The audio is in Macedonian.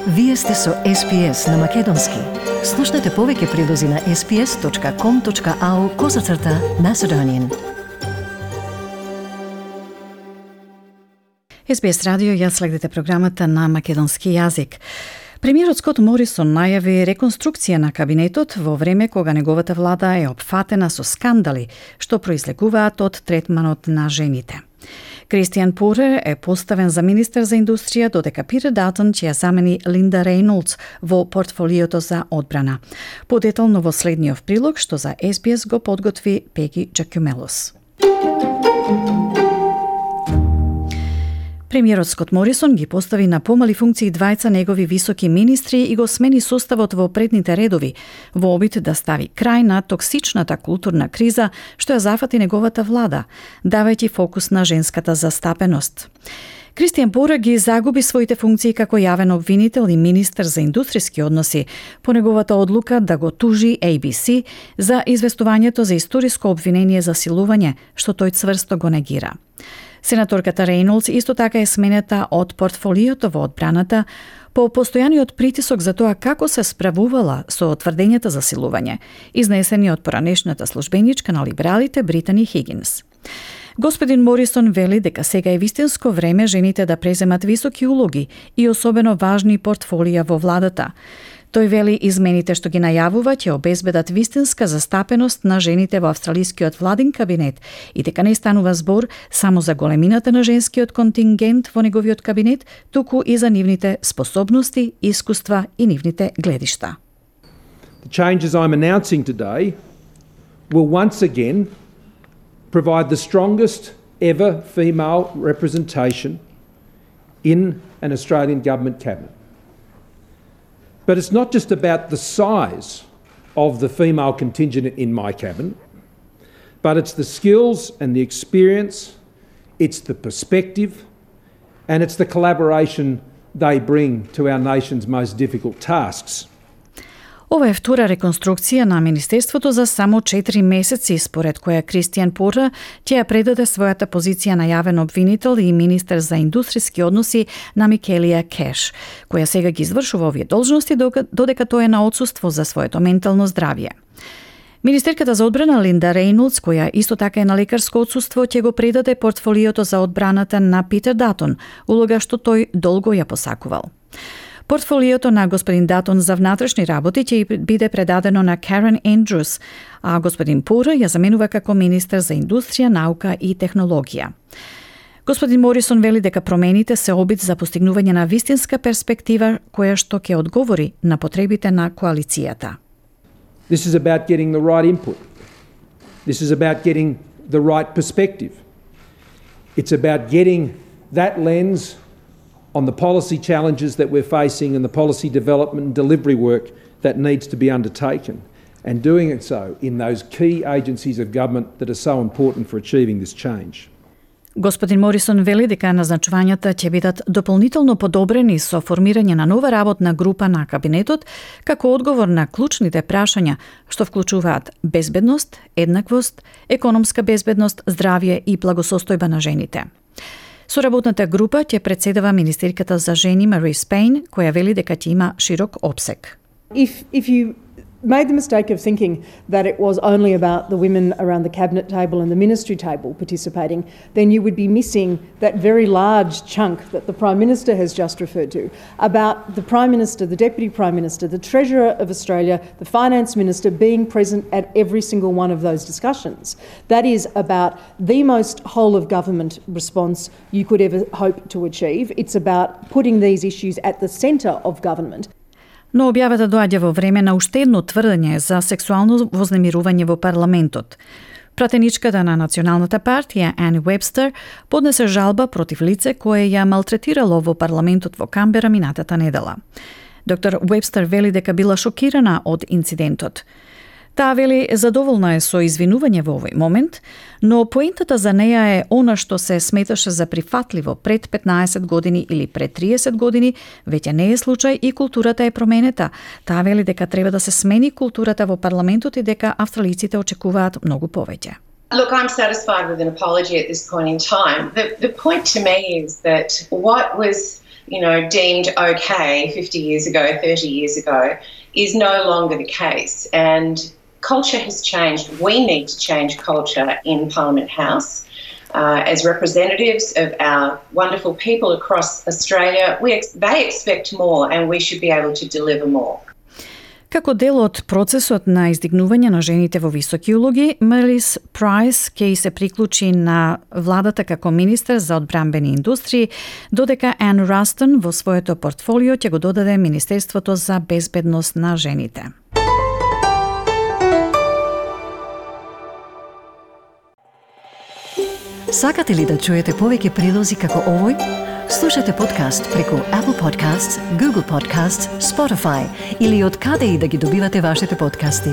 Вие сте со SPS на Македонски. Слушнете повеќе прилози на sps.com.au/Macedonian. SBS радио, ја следите програмата на македонски јазик. Премиерот Скот Морисон најави реконструкција на кабинетот во време кога неговата влада е опфатена со скандали што произлегуваат од третманот на жените. Кристијан Пурер е поставен за министер за индустрија, додека Питер Датон ќе ја замени Линда Рейнолдс во портфолиото за одбрана. Подетално во следниот прилог што за SBS го подготви Пеги Джакумелос. Премиерот Скот Морисон ги постави на помали функции двајца негови високи министри и го смени составот во предните редови, во обид да стави крај на токсичната културна криза што ја зафати неговата влада, давајќи фокус на женската застапеност. Кристијан Пурер ги загуби своите функции како јавен обвинител и министер за индустријски односи по неговата одлука да го тужи ABC за известувањето за историско обвинение за силување, што тој цврсто го негира. Сенаторката Рейнолдс исто така е сменета од портфолиото во одбраната по постојаниот притисок за тоа како се справувала со тврдењата за силување, изнесени од поранешната службеничка на либералите Британи Хигинс. Господин Морисон вели дека сега е вистинско време жените да преземат високи улоги и особено важни портфолија во владата. Тој вели измените што ги најавува ќе обезбедат вистинска застапеност на жените во австралискиот владин кабинет и дека не станува збор само за големината на женскиот контингент во неговиот кабинет, туку и за нивните способности, искуства и нивните гледишта. The changes I'm announcing today will once again provide the strongest ever female representation in an Australian government cabinet. But it's not just about the size of the female contingent in my cabinet, but it's the skills and the experience, it's the perspective, and it's the collaboration they bring to our nation's most difficult tasks. Ова е втора реконструкција на Министерството за само 4 месеци, според која Кристијан Пурер ќе ја предаде својата позиција на јавен обвинител и министер за индустријски односи на Микелија Кеш, која сега ги извршува овие должности додека тој е на отсуство за своето ментално здравје. Министерката за одбрана Линда Рейнолдс, која исто така е на лекарско отсуство, ќе го предаде портфолиото за одбраната на Питер Датон, улога што тој долго ја посакувал. Портфолиото на господин Датон за внатрешни работи ќе биде предадено на Карен Ендрюс, а господин Пурер ја заменува како министер за индустрија, наука и технологија. Господин Морисон вели дека промените се обид за постигнување на вистинска перспектива која што ќе одговори на потребите на коалицијата. This is about getting the right input. This is about getting the right perspective. It's about getting that lens on the policy challenges that we're facing and the policy development and delivery work that needs to be undertaken, and doing it so in those key agencies of government that are so important for achieving this change. Господин Морисон вели дека назначувањата ќе бидат дополнително подобрени со формирање на нова работна група на кабинетот како одговор на клучните прашања што вклучуваат безбедност, еднаквост, економска безбедност, здравје и благосостојба на жените. Со работната група ќе председава министерката за жени Марис Пейн, која вели дека ќе има широк опсег. If you made the mistake of thinking that it was only about the women around the cabinet table and the ministry table participating, then you would be missing that very large chunk that the Prime Minister has just referred to, about the Prime Minister, the Deputy Prime Minister, the Treasurer of Australia, the Finance Minister being present at every single one of those discussions. That is about the most whole of government response you could ever hope to achieve. It's about putting these issues at the centre of government. Но објавата доаѓа во време на уште едно тврдење за сексуално вознемирување во парламентот. Пратеничката на Националната партија Ани Вебстер поднесе жалба против лице кое ја малтретирало во парламентот во Камбера минатата недела. Доктор Вебстер вели дека била шокирана од инцидентот. Таа вели задоволна е со извинување во овој момент, но поентата за неја е она што се сметаше за прифатливо пред 15 години или пред 30 години, веќе не е случај и културата е променета. Таа вели дека треба да се смени културата во парламентот и дека австралиците очекуваат многу повеќе. Look, I'm satisfied with an apology at this point in time. The point to me is that what was deemed okay 50 years ago, 30 years ago, is no longer the case. And culture has changed. We need to change culture in Parliament House. As representatives of our wonderful people across Australia, they expect more and we should be able to deliver more. Како дел од процесот на издигнување на жените во високи улоги, Мелис Прайс ќе се приклучи на владата како министер за одбранбени индустрии, додека Ан Растон во своето портфолио ќе го додаде Министерството за безбедност на жените. Сакате ли да чуете повеќе прилози како овој? Слушате подкаст преку Apple Podcasts, Google Podcasts, Spotify или од каде и да ги добивате вашите подкасти.